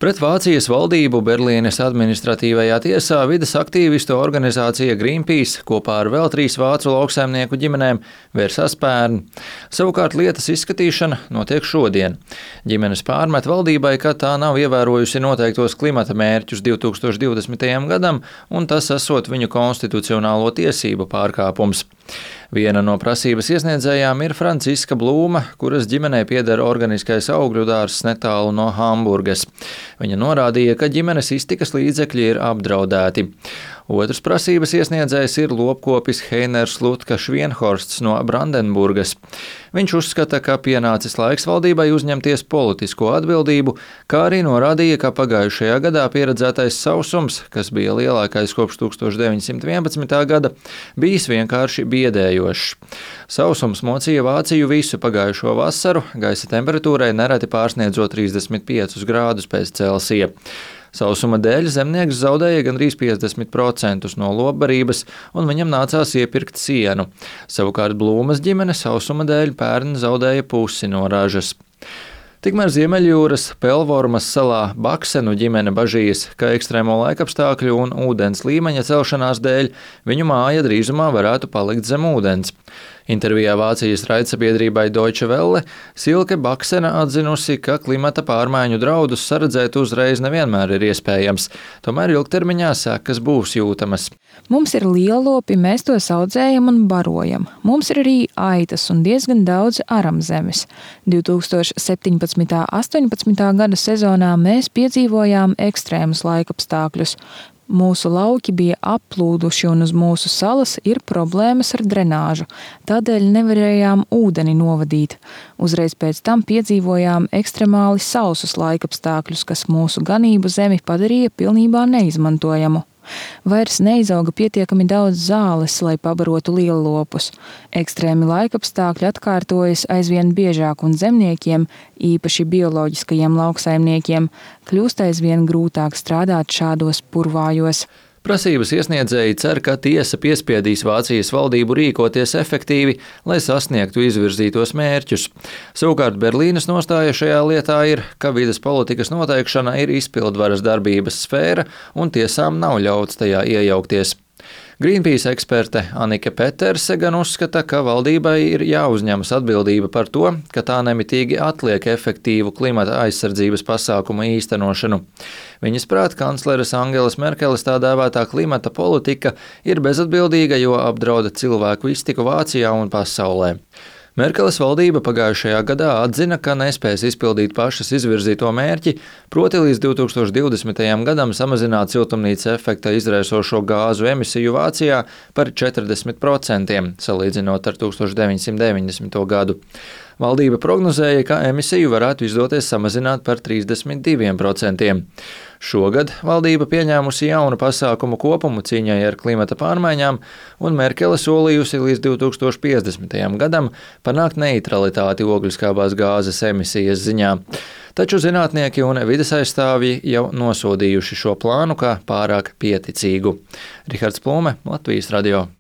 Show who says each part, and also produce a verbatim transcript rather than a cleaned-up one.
Speaker 1: Pret Vācijas valdību Berlīnes administratīvajā tiesā vides aktīvistu organizācija Greenpeace kopā ar vēl trīs vācu lauksaimnieku ģimenēm vērsās pērn. Savukārt lietas izskatīšana notiek šodien. Ģimenes pārmet valdībai, ka tā nav ievērojusi noteiktos klimata mērķus divi tūkstoši divdesmitajam gadam, un tas esot viņu konstitucionālo tiesību pārkāpums. Viena no prasības iesniedzējām ir Franciska Blūma, kuras ģimenei pieder organiskais augļu dārzs netālu no Hamburgas. Viņa norādīja, ka ģimenes iztikas līdzekļi ir apdraudēti. Otrs prasības iesniedzējs ir lopkopis Heiners Lutka Švienhorsts no Brandenburgas. Viņš uzskata, ka pienācis laiks valdībai uzņemties politisko atbildību, kā arī norādīja, ka pagājušajā gadā pieredzētais sausums, kas bija lielākais kopš tūkstoš deviņsimt vienpadsmitā gada, bijis vienkārši biedējošs. Sausums mocīja Vāciju visu pagājušo vasaru, gaisa temperatūrai nereti pārsniedzot trīsdesmit piecus grādus pēc Celsija. Sausuma dēļ zemnieks zaudēja gandrīz piecdesmit procentus no lopbarības, un viņam nācās iepirkt sienu. Savukārt Blūmas ģimene sausuma dēļ pērn zaudēja pusi no ražas. Tikmēr Ziemeļjūras Pelvormas salā Baksenu ģimene bažīs, ka ekstrēmo laikapstākļu un ūdens līmeņa celšanās dēļ viņu māja drīzumā varētu palikt zem ūdens. Intervijā Vācijas raidsabiedrībai Deutsche Welle Silke Baksena atzinusi, ka klimata pārmaiņu draudus saredzēt uzreiz nevienmēr ir iespējams, tomēr ilgtermiņā sekas būs jūtamas.
Speaker 2: Mums ir lielopi, mēs tos audzējam un barojam. Mums ir arī aitas un diezgan daudz aramzemes. divi tūkstoši septiņpadsmitā astoņpadsmitā gada sezonā mēs piedzīvojām ekstrēmus laikapstākļus. Mūsu lauki bija applūduši un uz mūsu salas ir problēmas ar drenāžu, tādēļ nevarējām ūdeni novadīt. Uzreiz pēc tam piedzīvojām ekstremāli sausus laikapstākļus, kas mūsu ganību zemi padarīja pilnībā neizmantojamu. Vairs neizauga pietiekami daudz zāles, lai pabarotu liellopus. Ekstrēmi laikapstākļi atkārtojas aizvien biežāk un zemniekiem, īpaši bioloģiskajiem lauksaimniekiem, kļūst aizvien grūtāk strādāt šādos purvājos.
Speaker 1: Prasības iesniedzēji cer, ka tiesa piespiedīs Vācijas valdību rīkoties efektīvi, lai sasniegtu izvirzītos mērķus. Savukārt Berlīnes nostāja šajā lietā ir, ka vides politikas noteikšana ir izpildvaras darbības sfēra un tiesām nav ļauts tajā iejaukties. Greenpeace eksperte Anike Peterse gan uzskata, ka valdībai ir jāuzņemas atbildība par to, ka tā nemitīgi atliek efektīvu klimata aizsardzības pasākumu īstenošanu. Viņas prāt, kancleres Angelas Merkeles tā dēvētā klimata politika ir bezatbildīga, jo apdrauda cilvēku iztiku Vācijā un pasaulē. Merkeles valdība pagājušajā gadā atzina, ka nespēs izpildīt pašas izvirzīto mērķi, proti līdz divi tūkstoši divdesmitajam gadam samazināt siltumnīca efekta izraisošo gāzu emisiju Vācijā par četrdesmit procentiem, salīdzinot ar tūkstoš deviņsimt deviņdesmito gadu. Valdība prognozēja, ka emisiju varētu izdoties samazināt par trīsdesmit diviem procentiem. Šogad valdība pieņēmusi jaunu pasākumu kopumu cīņai ar klimata pārmaiņām, un Merkele solījusi līdz divi tūkstoši piecdesmitajam gadam panākt neitralitāti ogliskābās gāzes emisijas ziņā. Taču zinātnieki un vides aizstāvji jau nosodījuši šo plānu kā pārāk pieticīgu. Rihards Plūme, Latvijas radio.